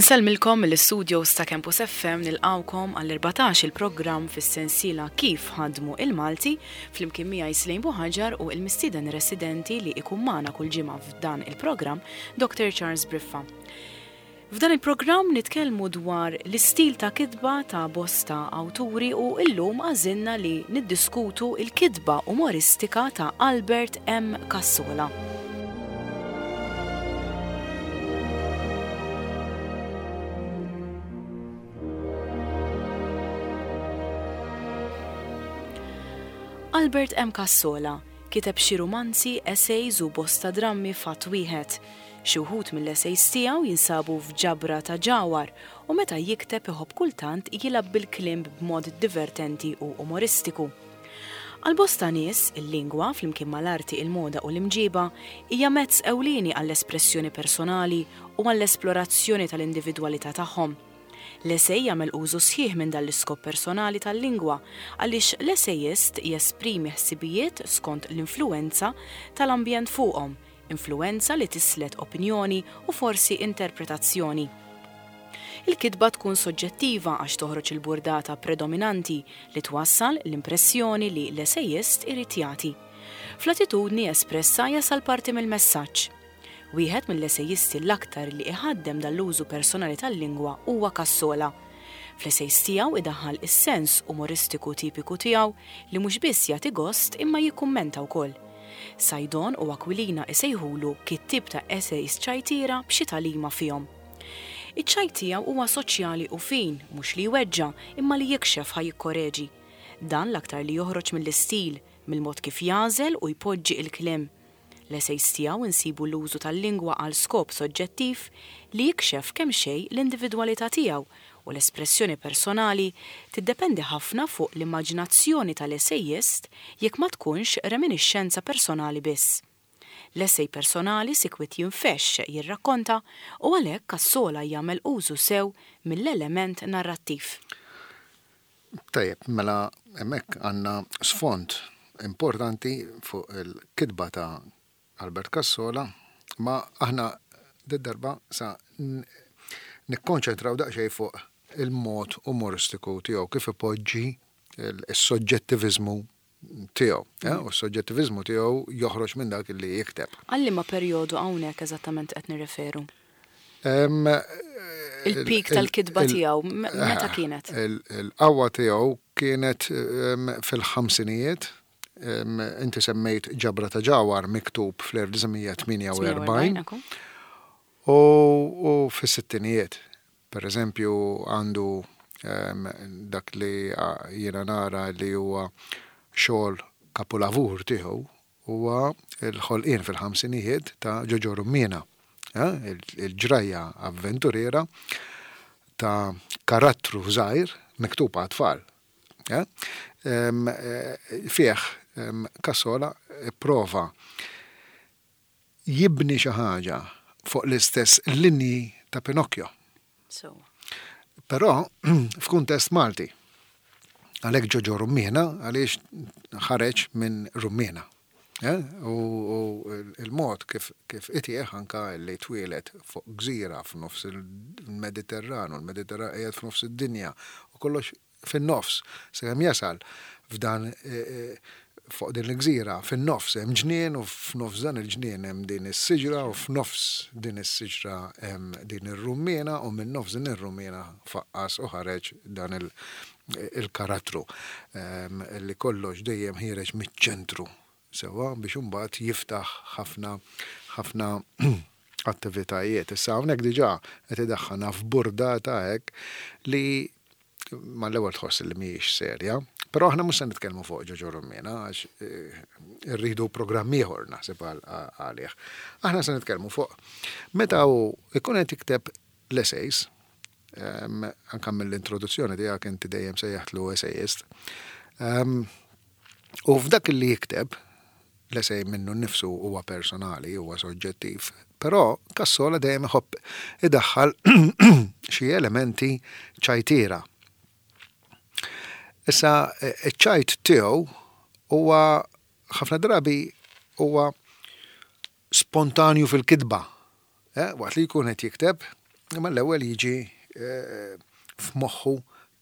Insellmilkom mill-istudios ta' Campus FM nilqgħukom għall-14 il-programm fis-sensiela Kif Ħadmu il-Malti flimkien miegħi Slejn Buħaġar u l-mistieden residenti li ikun magħna kull ġimgħa f'dan il-programm Dr. Charles Briffa. F'dan il-programm nitkellmu dwar l-istil ta' kitba ta' bosta awturi u illum għażilna li niddiskutu l-kitba umoristika ta' Albert M. Cassola. Albert M. Cassola kiteb xi rumanzi, essays u bosta drammi f'att wieħed. Xi wħud mill-essays tiegħu jinsabu f'ġabra ta' ġawhar u meta jikteb iħobb kultant jilgħab bil-kliem b'mod divertenti u umoristiku. Għal bosta nies, il-lingwa, flimkien mal-arti, il-moda u l-imġiba, hija mezz ewlieni għall-espressjoni personali u għall-esplorazzjoni tal-individwalità tagħhom. L-esej jagħmel użu sħiħ minn dan l-iskop personali tal-lingwa għaliex l-esejist jesprimi ħsibijiet skont l-influwenza tal-ambjent fuqhom, influwenza li tislet opinjoni u forsi interpretazzjoni. Il-kitba tkun soġġettiva għax toħroġ il-burdata predominanti li twassal l-impressjoni li l-esejist irid jagħti. Fl-attitudni espressa jasal parti mill-messaġġ. Wieħed mill-esejisti l-aktar li iħaddem dan l-użu personali tal-lingwa huwa Cassola. Fl-esejs tiegħu idaħħal is-sens umoristiku tipiku tiegħu li mhux biss jagħti gost imma jikkummenta wkoll. Saydon u Aquilina isejħulu kittieb ta' essays ċajtiera b'xi tagħlima fihom. Iċ-ċajt tiegħu huwa soċjali u fin, mhux li jweġġa', imma li jikxef ħa jikkoreġi. Dan l-aktar li joħroġ mill-istil, mill-mod kif jagħżel u jpoġġi il-kliem. L-essays tiegħu nsibu l-użu tal-lingwa għal skop soġġettiv li jikxef kemxejn l-individwalità tiegħu u l-espressjoni personali tiddependi ħafna fuq l-immaġinazzjoni tal-esejist jekk ma tkunx reminixxenza personali biss. L-esej personali sikwit jinfexx jirrakkonta u għalhekk Cassola jagħmel użu sew mill-element narrattiv. Tajjeb, mela hemmhekk għandna sfond importanti fuq il-kitba ta' Albert Cassola, ma aħna did-darba sa nikkonċentraw daqsxejn fuq il-mod umoristiku tiegħu kif ipoġġi s-soġġettiviżmu tiegħu. Eh, u s-soġġettiviżmu tiegħu joħroġ minn dak li jikteb. Għal liema perjodu hawnhekk eżattament qed nirreferu? Il-peak tal-kitba tiegħu meta kienet? Il-qawwa tiegħu kienet fil-ħamsinijiet. Inti semmejt ġabra ta' ġawhar miktub fl-1948 u fis-sittinijiet. Per eżempju għandu dak li jiena nara li huwa xogħol kapulavur tiegħu huwa l-ħolqien fil-ħamsinijiet ta' Ġoġo Rummiena, il-ġrajja avventuriera ta' karattru żgħir miktub għat-tfal. Fih Cassola pprova jibni xi ħaġa fuq l-istess linji ta' Pinocchio. Sewwa. Però f'kuntest Malti. Għalhekk Ġoġo Rummiena għaliex ħareġ minn Rummiena. Eh? U il-mod kif kif itih anka li twieled fuq gżira f'nofs il-Mediterran u l-Mediterran qiegħed f'nofs id-dinja u kollox fin-nofs, sakemm jasal f'dan fuq din il-gżira, fin-nofs hemm ġnien u f'nofs dan il-ġnien hemm din is-siġra u f'nofs din is-siġra hemm din ir-rummiena u minn nofs din ir-rummiena faqqas u ħareġ dan il-karattru li kollox dejjem ħiereġ miċ-ċentru sewwa biex imbagħad jiftaħ ħafna ħafna attivitajiet. Issa hawnhekk diġà qed idaħħalna f'burdata hekk li mal-ewwel tħoss li mhijiex serja, però aħna mhux se nitkellmu fuq Ġoġo Rummiena għax eh, irridu programm ieħor naħseb għalih. Aħna se nitkellmu fuq meta hu ikun qed jikteb l-essays, ehm, anke mill-introduzzjoni tiegħek inti dejjem sejjaħtlu essayist. Ehm, u f'dak li jikteb, L-esej minnu nnifsu huwa personali, huwa soġġettiv, però Cassola dejjem iħobb idaħħal xi elementi ċajtiera. Issa, iċ-ċajt tiegħu huwa ħafna drabi huwa spontanju fil-kitba. Eh, waqt li jkun qed jikteb, Imma l-ewwel jiġi f'moħħu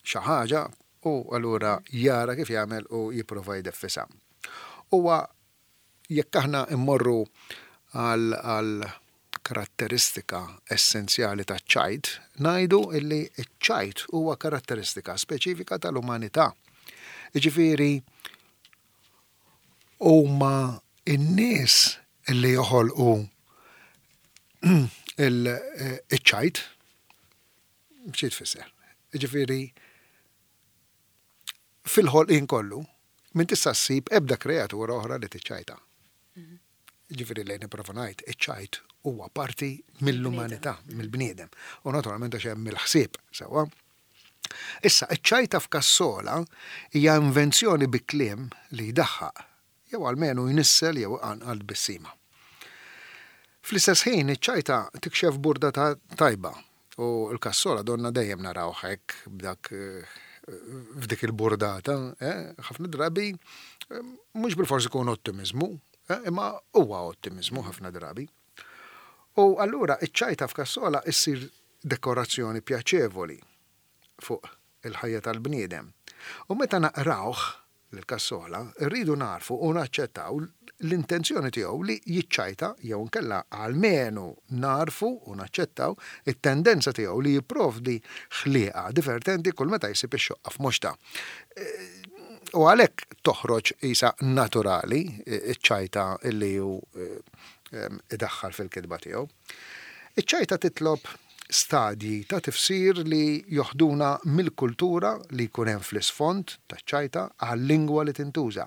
xi ħaġa u allura jara kif jagħmel u jipprova jdeffisha. Huwa jekk aħna mmorru għal karatteristika essenzjali taċ-ċajt, ngħidu illi ċ-ċajt huwa karatteristika speċifika tal-umanità. Jiġifieri huma n-nies li joħolqu iċ-ċajt. Xi tfisser? Jiġifieri fil-ħolqien kollu m'int tista' ssib ebda kreatura oħra li tiċċajta. Jiġifieri li nipprova ngħid, iċ-ċajt huwa parti mill-umanità, mill-bniedem. U naturalment għax hemm il-ħsieb, sewwa. Issa, iċ-ċajta f'kassola hija invenzjoni bi kliem li jdaħħaq, jew almenu jnissel jew iqanqal tbissima. Fl-istess ħin, iċ-ċajta tikxef burdata tajba, u l-kassola donna dejjem narawh hekk b'dak f'dik il-burdata, ħafna drabi mhux bilfors ikun ottimiżmu, imma huwa ottimiżmu ħafna drabi. U allura iċ-ċajta f'kassola issir dekorazzjoni pjaċevoli fuq il-ħajja tal-bniedem. U meta naqrawh lil Cassola, irridu nagħrfu u naċċettaw l-intenzjoni tiegħu li jiċċajta jew inkella almenu nagħrfu u naċċettaw it-tendenza tiegħu li jipprovdi ħlieqa divertenti kull meta jsib ix-xoqqa f'moxtha. U għalhekk toħroġ qisha naturali ċ-ċajta li hu idaħħal fil-kitba tiegħu. Iċ-ċajta titlob stadji ta' tifsir li joħduna mill-kultura li jkun hemm fl-isfond taċ-ċajta għal-lingwa li tintuża.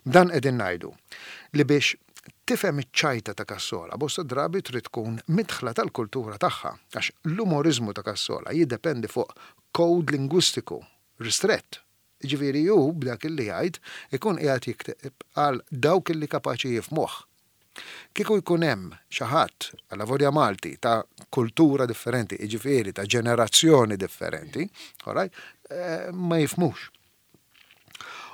B'dan qegħdin ngħidu li biex tifhem iċ-ċajta ta' Cassola bosta drabi trid tkun midħla tal-kultura tagħha għax l-umoriżmu ta' Cassola jiddependi fuq code lingwistiku ristrett. Jiġifieri hu b'dak li jgħid ikun qiegħed jikteb għal dawk li kapaċi jifhmuh. Kieku jkun hemm xi ħadd, allavolja Malti, ta' kultura differenti, jiġifieri ta' ġenerazzjoni differenti, all right, ma jifhmux.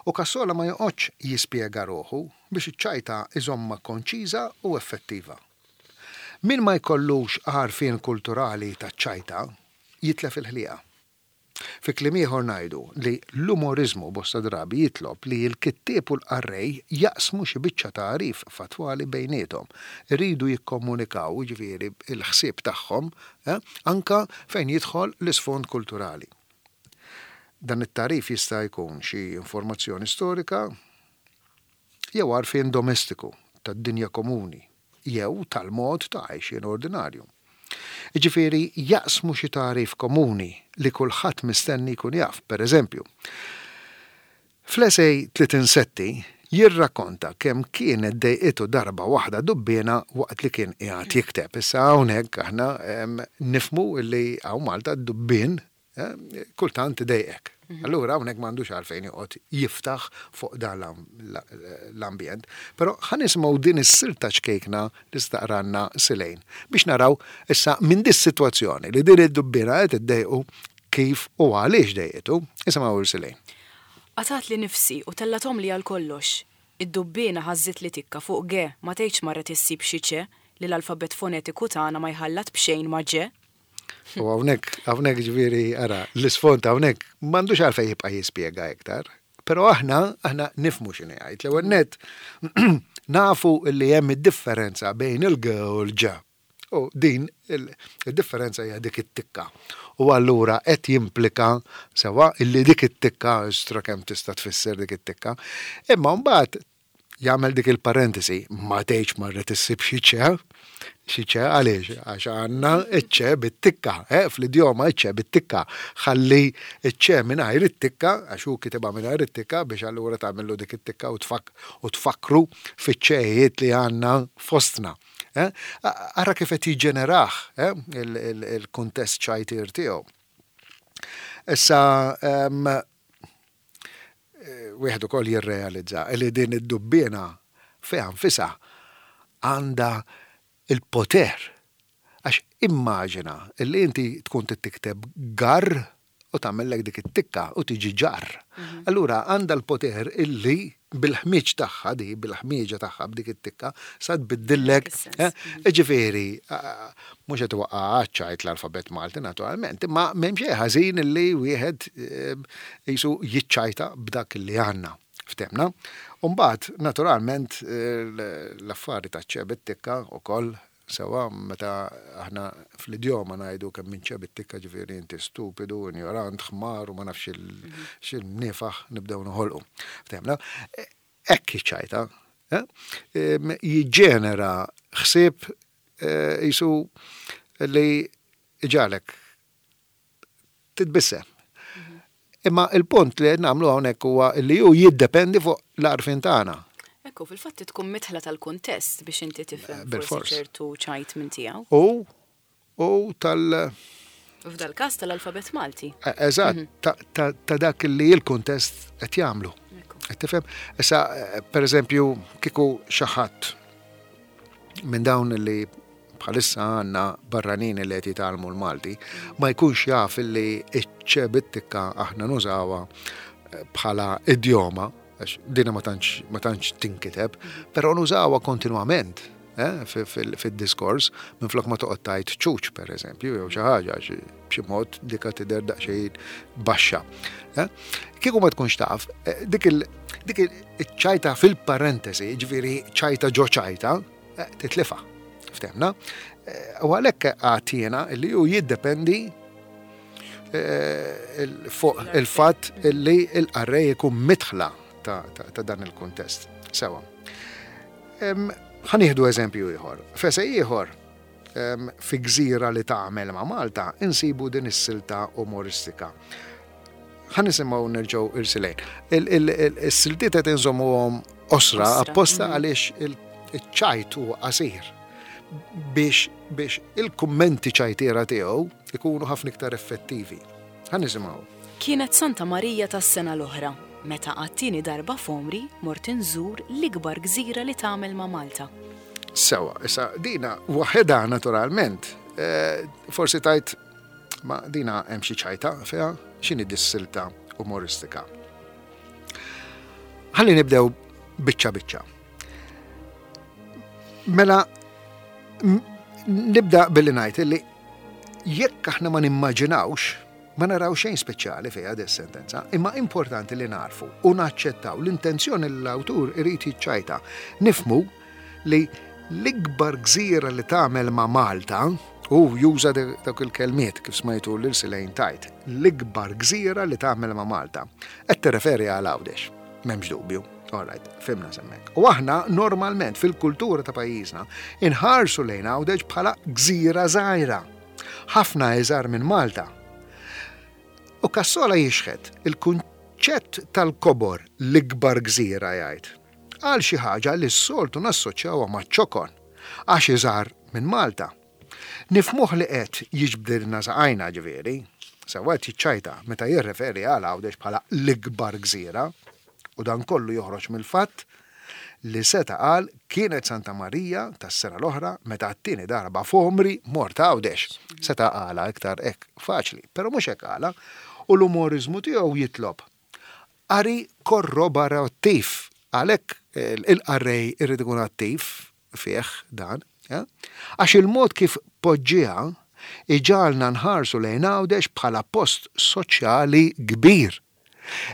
U Cassola ma joqgħodx jispjega ruħu biex iċ-ċajta iżommha konċiża u effettiva. Min ma jkollux għarfien kulturali taċ-ċajta jitlef il-ħlieqa. Fi kliem ieħor ngħidu li l-umoriżmu bosta drabi jitlob li l-kittieb u l-qarrej jaqsmu xi biċċa tagħrif fattwali bejniethom. Iridu jikkomunikaw, jiġifieri, il-ħsieb tagħhom, anke fejn jidħol l-isfond kulturali. Dan it-tagħrif jista' jkun xi informazzjoni storika jew għarfien domestiku tad-dinja komuni jew tal-mod ta' għajxien ordinarju. Jiġifieri jaqsmu xi tagħrif komuni li kulħadd mistenni jkun jaf. Per eżempju, fl-esej Tliet Insetti jirrakkonta kemm kienet dejqitu darba waħda dubbiena waqt li kien qiegħed jikteb. Issa hawnhekk aħna nifhmu li hawn Malta d-dubbien kultant idejqek. Allura hawnhekk m'għandux għalfejn joqgħod jiftaħ fuq dan l-ambjent. Però ħa nisimgħu din is-silta ċkejkna li staqranna Silejn biex naraw issa minn dis-sitwazzjoni li din id-dubbiena qed iddejqu kif u għaliex dejqitu. Isimgħu lil Silejn. Qatgħatli nifsi u tellathomli għal kollox. Id-dubbiena ħażżitli tikka fuq ge ma tgħidx marret issib xi ċe li l-alfabett fonetiku tagħna ma jħallat b'xejn ma' ġe. U hawnhekk, hawnhekk ġifieri, ara, l-isfond hawnhekk m'għandux għalfejn jibqa' jispjega iktar. Però aħna, aħna nifhmu x'inhi jgħid. L-ewwel nett nafu li hemm id-differenza bejn il-g u l-ġ. U din id-differenza hija dik it-tikka. U allura qed jimplika sewwa illi dik it-tikka, istra kemm tista' tfisser dik it-tikka. Imma mbagħad jagħmel dik il-parentesi, ma tgħidx marret issib xi ċe, xi ċe għaliex, għax għandna iċ-ċe bit-tikka, eh, fl-idjoma iċ-ċe bit-tikka, ħalli iċ-ċe mingħajr it-tikka, għax hu kitibha mingħajr it-tikka biex allura tagħmillu dik it-tikka u tfak u tfakkru fiċ-ċejiet li għandna fostna. Eh? Ara kif qed jiġġenerah eh, il-kuntest ċajtir tiegħu. Issa, Wieħed ukoll jirrealizza li din id-dubbiena fiha nfisha għandha l-poter. Għax immaġina li inti tkun trid tikteb garr u tagħmellek dik it-tikka u tiġi ġarr. Allura għandha l-poter illi bil-ħmieġ tagħha di, bil-ħmieġa tagħha b'dik it-tikka, sa tbiddillek. Eh? Ġifieri, mhux qed iwaqqa' għaċ-ċajt l-alfabett Malti naturalment, imma m'hemm xejn ħażin li wieħed qisu jiċċajta b'dak li għandna. Ftemna. U mbagħad, naturalment, l-affari taċ-ċe bit-tikka wkoll Sewwa, meta aħna fl-idjoma ngħidu kemm int ċeb it-tikka ġifieri inti stupidu, injorant, ħmar u ma nafx x'imniefaħ nibdew noħolqu. Ftehimna? Hekk hi ċ-ċajta. Jiġġenera ħsieb qisu li jġagħlek titbissem. Imma il-punt li qed nagħmlu hawnhekk huwa li hu jiddependi fuq l-għarfien tagħna. Ekku, fil-fatt tkun midħla tal-kuntest biex inti tifhem forsi ċertu ċajt minn tiegħu. U u tal F'dal każ tal-alfabett Malti. E, eżatt, mhm. ta' dak li l-kuntest qed jagħmlu. Qed tifhem? Issa, per eżempju, kieku xi ħadd minn dawn li bħalissa għandna barranin li qed jitgħallmu l-Malti, ma jkunx jaf li ċ-ċe bit-tikka aħna nużawha eh, bħala idjoma, għax dina ma tantx ma tantx tinkiteb, però nużawha kontinwament eh, fid-diskors minflok ma toqgħod tgħid ċuċ pereżempju jew xi ħaġa b'xi mod dika tidher daqsxejn baxxa. Eh? Kieku ma tkunx taf, dik il-ċajta fil-parentesi, ġifieri ċajta ġo ċajta, Eh, titlifa. Ftemna. Eh, u għalhekk għatjena li hu jiddependi eh, fuq il-fatt li l-qarrej ikun mitħla ta' dan il-kuntest. Sewa. Ħanieħdu eżempju ieħor. F'esej ieħor, fi gżira li tagħmel ma' Malta, insibu din is-silta umoristika. Ħa nisimgħu nerġgħu irsilejn. Is-siltiet qed inżommuhom osra apposta mhm. għaliex il-ċajt huwa qasir biex biex il-kummenti ċajtiera tiegħu ikunu ħafna iktar effettivi. Ħa nisimgħu. Kienet Santa Marija tas-sena l-oħra, meta għat-tieni darba f'għomri mort inżur l-ikbar gżira li tagħmel ma' Malta. Sewa, issa dina waħedha naturalment, eh, forsi tajt Ma dina hemm xi ċajta fiha, x'inhi dis-silta umoristika. Ħalli nibdew biċċa biċċa. Mela nibda billi ngħid li jekk aħna ma nimmaġinawx ma naraw xejn speċjali fiha dis sentenza, imma importanti li narfu u naċċettaw l-intenzjoni li l-awtur irid jiċċajta. Nifmu li l-ikbar gżira li tagħmel ma' Malta, hu juża dawk il-kelmiet kif smajtu lil Silejn tgħid, l-ikbar gżira li tagħmel ma' Malta. Qed tirreferi għal Għawdex, m'hemmx dubju. All right, fhimna s'hemmhekk. U aħna normalment fil-kultura ta' pajjiżna inħarsu lejn Għawdex bħala gżira żgħira, ħafna iżgħar minn Malta. U Cassola jixħet il-kunċett tal-kobor l-ikbar gżira jgħid. Għal xi ħaġa li s-soltu nassoċjawha maċ-ċokon, għax iżgħar minn Malta. Nifhmuh li qed jiġbdilna saqajna, ġifieri. Sewwa qed jiċċajta meta jirreferi għal Għawdex bħala l-ikbar gżira. U dan kollu joħroġ mill-fatt li seta' qal kienet Santa Marija tas-sena l-oħra meta għat-tieni darba f'għomri mort Għawdex. Seta' qalha iktar hekk faċli, però mhux hekk qalha u l-umoriżmu tiegħu jitlob Qari korroborattiv, għalhekk il-qarrej irid ikun attiv fih dan, għax il-mod kif poġġieha iġagħalna nħarsu lejn Għawdex bħala post soċjali kbir.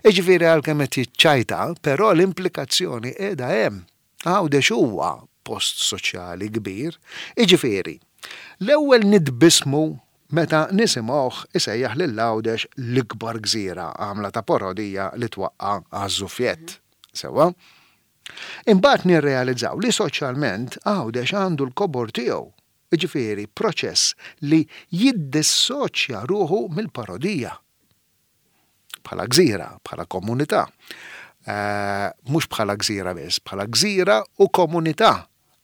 Jiġifieri għalkemm qed jiċċajta, però l-implikazzjoni qiegħda hemm. Għawdex huwa post soċjali kbir, jiġifieri, l-ewwel nitbissmu meta nisimgħuh isejjaħ lil Għawdex l-ikbar gżira, għamla ta' parodija li twaqqa' għaż-żuffjett. Sewwa? Imbagħad nirrealizzaw li soċjalment Għawdex għandu l-kobor tiegħu, jiġifieri proċess li jiddissoċja ruħu mill-parodija. Bħala gżira, bħala komunità. Mhux bħala gżira biss, bħala gżira u komunità.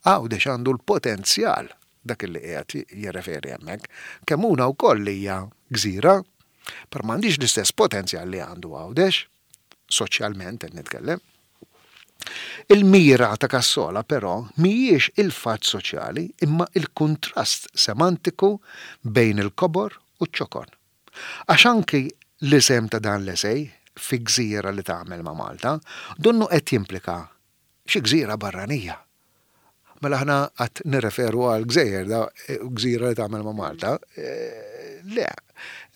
Għawdex għandu l-potenzjal, dak li qiegħed jirreferi hemmhekk. Kemmuna wkoll hija gżira, però m'għandhiex l-istess potenzjal li għandu Għawdex, soċjalment qed nitkellem. Il-mira ta' Cassola però mhijiex il-fatt soċjali imma l-kuntrast semantiku bejn il-kobor u ċ-ċokon. Għax anki l-isem ta' dan l-esej, fi gżira li tagħmel ma' Malta, donnu qed jimplika xi gżira barranija. Mela aħna qatt nirreferu għal gżejjer da gżira li tagħmel ma' Malta. Le,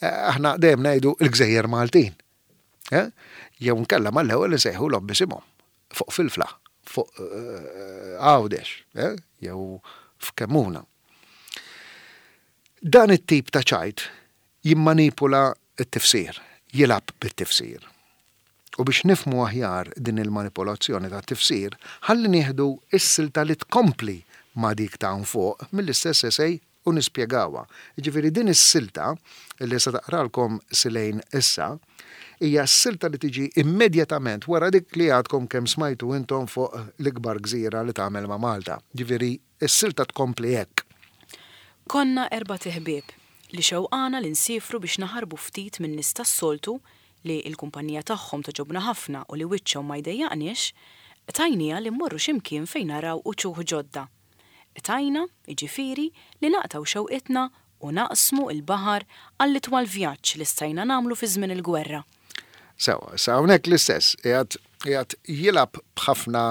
aħna dejjem ngħidu l-gżejjer Maltin. Jew nkella mal-ewwel insejħulhom b'isimhom. Fuq Filfla, fuq Għawdex, jew f'Kemmuna. Dan it-tip ta' ċajt jimmanipula t-tifsir, jilgħab bit-tifsir. U biex nifhmu aħjar din il-manipolazzjoni tat-tifsir, ħalli nieħdu s-silta li tkompli ma' dik ta' hawn fuq mill-istess esej u nispjegawha. Jiġifieri din is-silta, li se taqralkom Silane issa, hija s-silta li tiġi immedjatament wara dik li għadkom kemm smajtu intom fuq l-ikbar gżira li tagħmel ma' Malta. Jiġifieri Is-silta tkompli hekk. Konna erbat iħbieb li xewqana li nsiefru biex naħarbu ftit min-nies tas-soltu li l-kumpanija tagħhom togħġobna ħafna u li wiċċhom ma jdejjaqniex, qtajnieha li mmorru xi mkien fejn naraw uċuħ ġodda. Qtajna, jiġifieri, li naqtgħu xewqitna u naqsmu l-baħar għall-itwal vjaġġ li stajna nagħmlu fi żmien il-gwerra. Sewwa, issa hawnhekk l-istess, qiegħed qiegħed jilgħab b'ħafna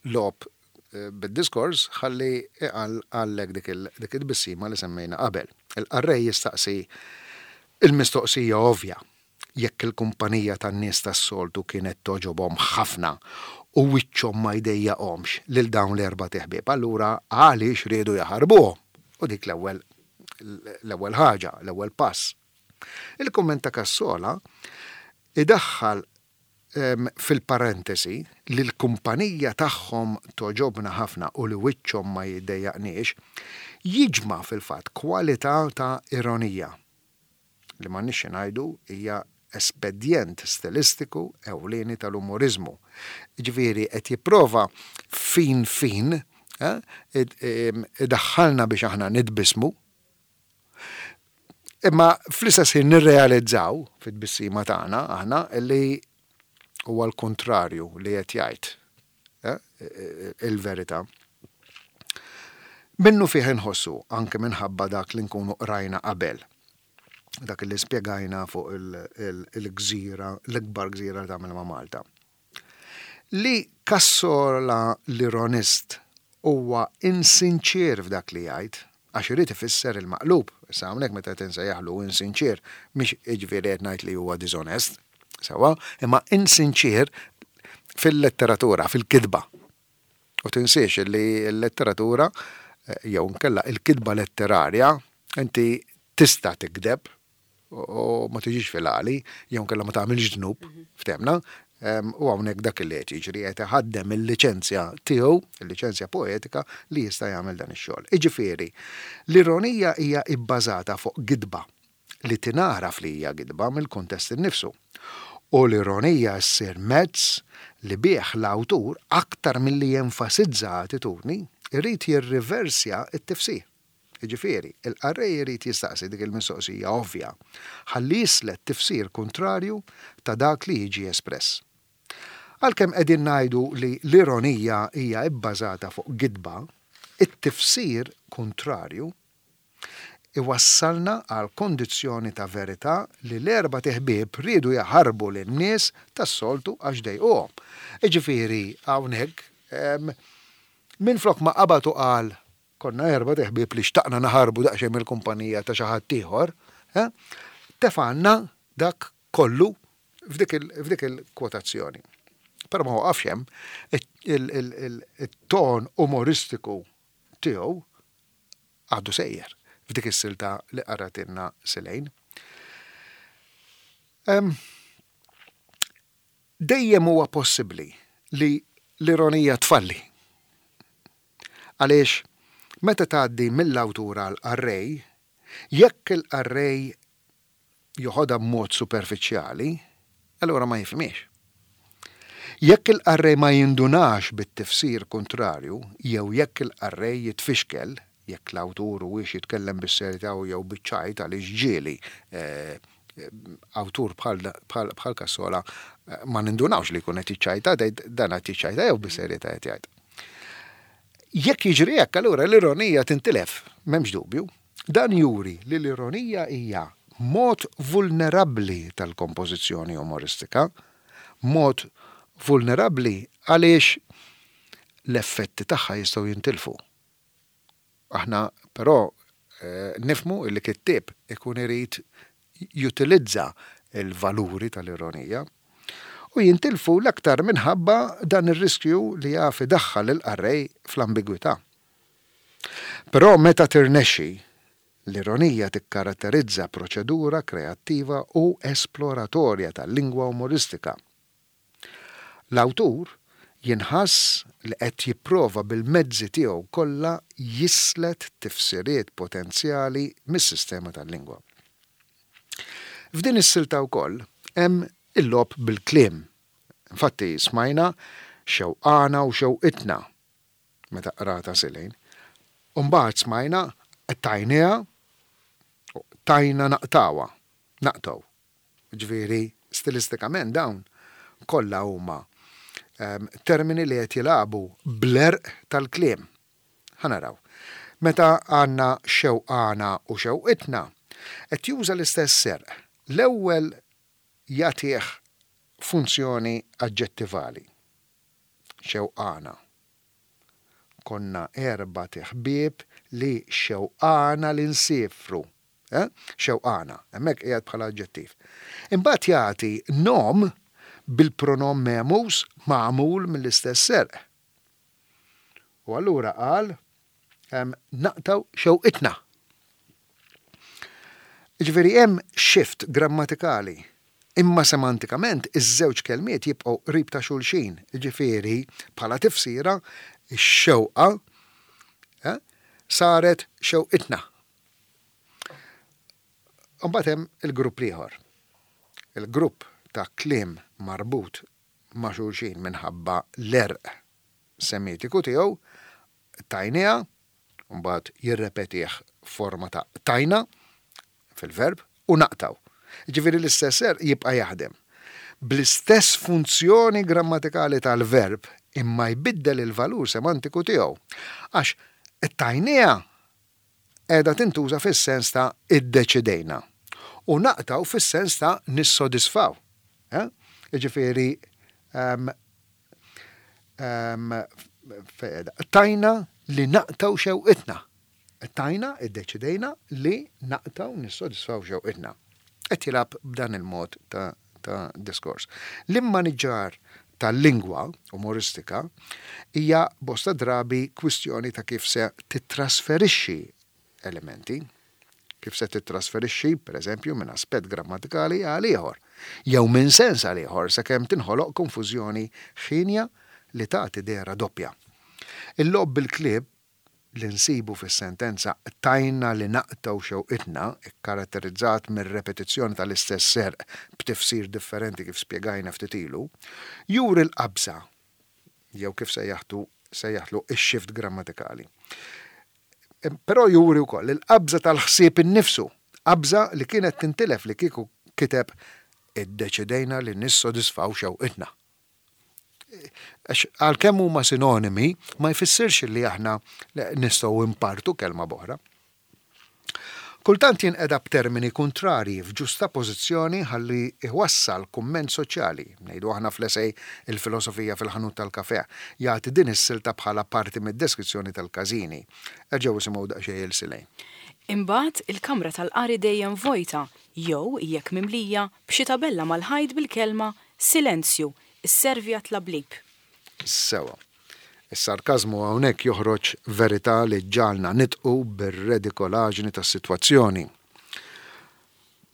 logħob bid-diskors ħalli iqanqallek dik it-tbissima li semmejna qabel. Il-qarrej jistaqsi l-mistoqsija ovvja, jekk il-kumpanija tan-nies tas-soltu kienet togħġobhom ħafna u wiċċhom ma jdejjaqhomx lil dawn l-erbat iħbieb, allura għaliex riedu jaħarbuhom? U dik l-ewwel l-ewwel ħaġa, l-ewwel pass. Il-kumment ta' Cassola idaħħal fil-parentesi, li l-kumpanija tagħhom togħġobna ħafna u li wiċċhom ma jiddejjaqniex, jiġma' fil-fatt kwalità ta' ironija, li m'għandniex xi ngħidu hija espedjent stilistiku ewlieni tal-umoriżmu. Jiġifieri qed jipprova fin fin idaħħalna biex aħna nitbissmu, Imma fl-istess ħin nirrealizzaw fit-tbissima tagħna aħna li huwa l-kuntrarju li qed jgħid eh, il-verità. Minnu fih inħossu anke minħabba dak li nkunu qrajna qabel dak li spjegajna fuq il-gżira, l-ikbar gżira li tagħmel ma' Malta. Li Cassola l-ironist huwa insinċier f'dak li jgħid, għax irid ifisser il-maqlub. Issa hawnhekk meta qed insejjaħlu insinċier, mhix jiġifieri qed ngħid li huwa diżonest, sewwa, imma insinċier fil-letteratura, fil-kitba. U tinsiex li l-letteratura jew inkella il-kitba letterarja inti tista' tikdeb u ma tiġix fil-għali, jew inkella ma tagħmilx dnub, ftemna, u hawnhekk dak li qed jiġri qed iħaddem il-liċenzja tiegħu, il-liċenzja poetika li jista' jagħmel dan ix-xogħol. Iġifieri, l-ironija hija bbażata fuq gidba li tingħaraf li hija gidba mill-kuntest innifsu. U l-ironija ssir mezz li bih l-awtur, aktar milli jenfasizza attitudni, irid jirriversja t-tifsir. Jiġifieri, il-qarrej irid jistaqsi dik il-mistoqsija ovvja ħalli jislet tifsir kuntrarju ta' dak li jiġi espress. Għalkemm qegħdin ngħidu li l-ironija hija bbażata fuq gidba, it-tifsir kuntrarju iwassalna għall-kondizzjoni ta' verità li l-erbat iħbieb riedu jaħarbu lin-nies tas-soltu għax dejquhom. Jiġifieri, hawnhekk, minflok ma qabad u qal Konna erbat iħbieb li xtaqna naħarbu daqsxejn mill-kumpanija ta' xi ħadd ieħor, tefgħalna dak kollu f'dik il-kwotazzjoni. Però ma waqafx hemm, it-ton umoristiku tiegħu għadu sejjer f'dik is-silta li qaratilna Silejn. Dejjem huwa possibbli li l-ironija tfalli. Għaliex meta tgħaddi mill-awtur għall-qarrej, jekk il-qarrej joħodha b'mod superfiċjali, allura ma jifhimhiex. Jekk il-qarrej ma jindunax bit-tifsir kuntrarju jew jekk il-qarrej jitfixkel jekk l-awtur huwiex jitkellem bis-serjetà jew biċ-ċajt għaliex ġieli awtur bħal Cassola ma nindunawx li jkun qed jiċċajta, tgħid dan qed jiċċajta jew bis-serjetà qed jgħid. Jekk jiġri hekk, allura l-ironija tintilef, m'hemmx dubju. Dan juri li l-ironija hija mod vulnerabbli tal-kompożizzjoni umoristika, mod vulnerabbli għaliex l-effetti tagħha jistgħu jintilfu. Aħna però nifhmu li kittieb ikun irid jutilizza l-valuri tal-ironija u jintilfu l-aktar minħabba dan ir-riskju li jaf idaħħal lill-qarrej fl-ambigwità. Però meta tirnexxi, l-ironija tikkaratterizza proċedura kreattiva u esploratorja tal-lingwa umoristika. L-awtur jinħass li qed jipprova bil-mezzi tiegħu kollha jislet tifsiriet potenzjali mis-sistema tal-lingwa. F'din is-silta wkoll hemm il-logħob bil-kliem. Infatti smajna xewqana u xewqitna meta qratha Silane. U mbagħad smajna qtajniha u qtajna naqtgħuha, naqtgħu. Jiġifieri stilistikament dawn kollha huma termini li qed jilagħbu bl-għerq tal-kliem. Ħa naraw. Meta għandna xewqana u xewqitna, qed juża l-istess għerq. L-ewwel jagħtih funzjoni aġġettivali. Xewqana. Konna erbat iħbieb li xewqana li nsiefru. Eh? Xewqana. Hemmhekk qiegħed bħala aġġettiv. Imbagħad jagħti nom bil-pronom mehmuż magħmul mill-istess għerq. U allura qal naqtgħu xewqitna. Jiġifieri hemm shift grammatikali, imma semantikament iż-żewġ kelmiet jibqgħu qrib ta' xulxin, jiġifieri bħala tifsira x-xewqa eh, saret xewqitna. Imbagħad hemm il-grupp l-ieħor. Il-grupp ta' kliem marbut ma' xulxin minħabba l-għerq Semitiku tiegħu, qtajniha, u mbagħad jirrepetih f'forma ta' qtajna, fil-verb, u naqtgħu. Jiġifieri l-istess għerq jibqa' jaħdem bl-istess funzjoni grammatikali tal-verb imma jbiddel il-valur semantiku tiegħu. Għax qtajniha qiegħda tintuża fis-sens ta' iddeċidejna u naqtgħu fis-sens ta' nissodisfaw. Jiġifieri qtajna li naqtgħu xewqitna. Qtajna, iddeċidejna li naqtgħu nissodisfaw xewqitna. Qed jilgħab b'dan il-mod ta' ta' diskors. L-immaniġġar tal-lingwa umoristika hija bosta drabi kwistjoni ta' kif se tittrasferixxi elementi, kif se tittrasferixxi, pereżempju, minn aspett grammatikali għal ieħor, jew minn sens għal ieħor sakemm tinħoloq konfużjoni ħienja li tagħti dehra doppja. Il-logħob bil-klieb li nsibu fis-sentenza qtajna li naqtgħu xewqitna, ikkaratterizzat mir-repetizzjoni tal-istess serq b'tifsir differenti kif spjegajna ftit ilu, juri l-qabża, jew kif sejjaħtu sejjaħtlu x-shift grammatikali. Però juri wkoll il-qabża tal-ħsieb innifsu, qabża li kienet tintilef li kieku kiteb iddeċidejna li nissodisfaw xewqitna. Għax għalkemm huma sinonimi, ma jfissirx li aħna nistgħu impartu kelma b'oħra. Kultant jinqeda b'termini kuntrarji f'ġustapożizzjoni ħalli jwassal kumment soċjali, ngħidu aħna fl-esej Il-Filosofija fil-Ħanut tal-Kafè, jagħti din is-silta bħala parti mid-deskrizzjoni tal-każini. Erġgħu isimgħu daqsxejn il Silej. Imbagħad il-kamra tal-qari dejjem vojta jew, jekk mimlija, b'xi tabella mal-ħajt bil-kelma Silenzju, isservi għat-tlablib. Sewwa. Is-sarkażmu hawnhekk joħroġ verità li ġġagħalna nidħqu bir-redikolaġni tas-sitwazzjoni.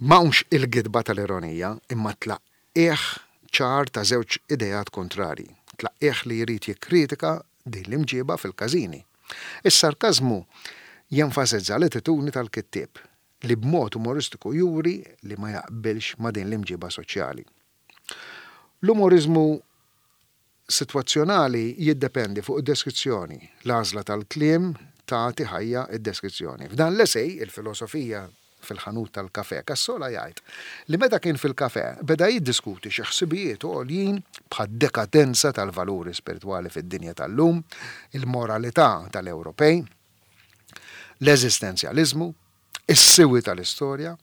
M'hawnx il-gidba tal-ironija, imma tlaqqigħ ċar ta' żewġ ideat kuntrarji. Tlaqqigħ li jrid jikkritika din l-imġieba fil-każini. Is-sarkażmu jenfasizza l-attitudni tal-kittieb, li b'mod umoristiku juri li ma jaqbilx ma' din l-imġiba soċjali. L-umoriżmu sitwazzjonali jiddependi fuq id-deskrizzjoni, l-għażla tal-kliem tagħti ħajja d-deskrizzjoni. F'dan l-esej, Il-Filosofija fil-Ħanut tal-Kafè, Cassola jgħid li meta kien fil-kafè beda jiddiskuti xi ħsibijiet għoljin bħad-dekadenza tal-valuri spiritwali fid-dinja tal-lum, il-moralità tal-Ewropej, l-eżistenzjaliżmu, is-siwi tal-istorja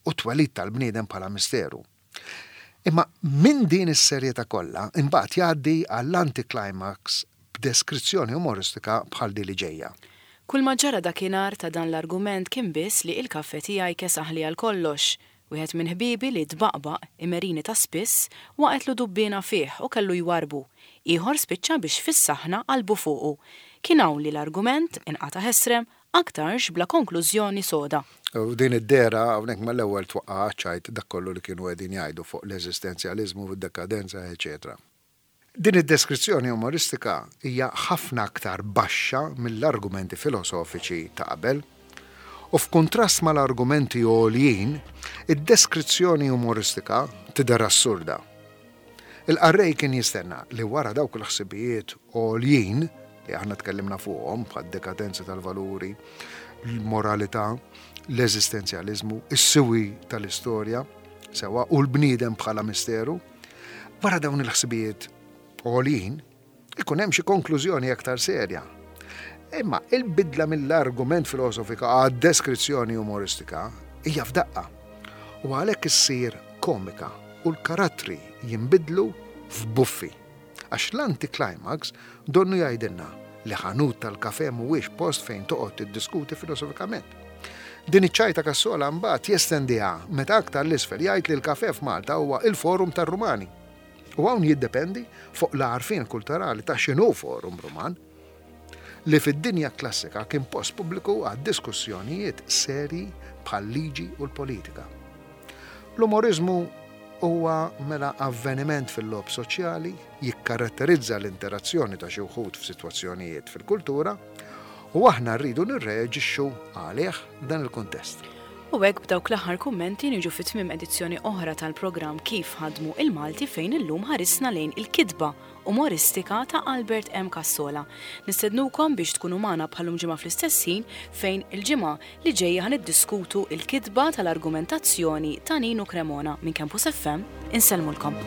u t-twelid tal-bniedem bħala misteru. Imma minn din is-serjetà kollha imbagħad jgħaddi għall-anticlimax b'deskrizzjoni umoristika bħal di li ġejja. Kulma ġara dakinhar ta' dan l-argument kien biss li il-kafè tiegħi kesaħli għal kollox. Wieħed minn ħbiebi li tbaqbaq imerini ta' spiss waqgħetlu dubbiena fih u kellu jwarrbu. Ieħor spiċċa biex fis-saħna qalbu fuqu. Kien hawn li l-argument inqata' ħesrem aktarx bla konklużjoni soda. U din id-dehra hawnhekk mal-ewwel twaqqa' għaċ-ċajt dak kollu li kienu qegħdin jgħidu fuq l-eżistenzjaliżmu, d-dekadenza, eċċetera. Din id-deskrizzjoni umoristika hija ħafna aktar baxxa mill-argumenti filosofiċi ta' qabel. U f'kuntrast mal-argumenti għoljin, id-deskrizzjoni umoristika tidher assurda. Il-qarrej kien jistenna li wara dawk il-ħsibijiet għoljin li aħna tkellimna fuqhom bħad-dekadenza tal-valuri, l-moralità, l-eżistenzjaliżmu, is-siwi tal-istorja, sewwa, u l-bniedem bħala misteru, wara dawn il-ħsibijiet għoljin, ikun hemm xi konklużjoni aktar serja. Imma il-bidla mill-argument filosofika għad-deskrizzjoni umoristika hija f'daqqa. U għalhekk issir komika u l-karattri jinbidlu f'buffi. Għax l-anticlimax donnu jgħidilna li ħanut tal-kafè mhuwiex post fejn toqgħod tiddiskuti filosofikament. Din iċ-ċajta Cassola mbagħad jestendiha meta aktar 'l isfel jgħid li l-kafè f'Malta huwa il-forum tar-Rumani. U hawn jiddependi fuq l-għarfien kulturali ta' x'inhu forum Ruman, li fid-dinja klassika kien post pubbliku għad-diskussjonijiet serji bħal-liġi u l-politika. L-umoriżmu huwa mela avveniment fil-logħob soċjali, jikkaratterizza l-interazzjoni ta' xi wħud f'sitwazzjonijiet fil-kultura, u aħna rridu nirreaġixxu għalih f'dan il-kuntest. U hekk b'dawk l-aħħar kummenti niġu fi tmiem edizzjoni oħra tal-programm Kif Ħadmu il-Malti fejn illum ħarisna lejn il-kitba umoristika ta' Albert M. Cassola. Nistednukom biex tkunu magħna bħal-lum ġimgħa fl-istess ħin fejn il-ġimgħa li ġejja ħa niddiskutu il-kitba tal-argumentazzjoni ta' Ninu Cremona minn Campus FM. Insellmulkom.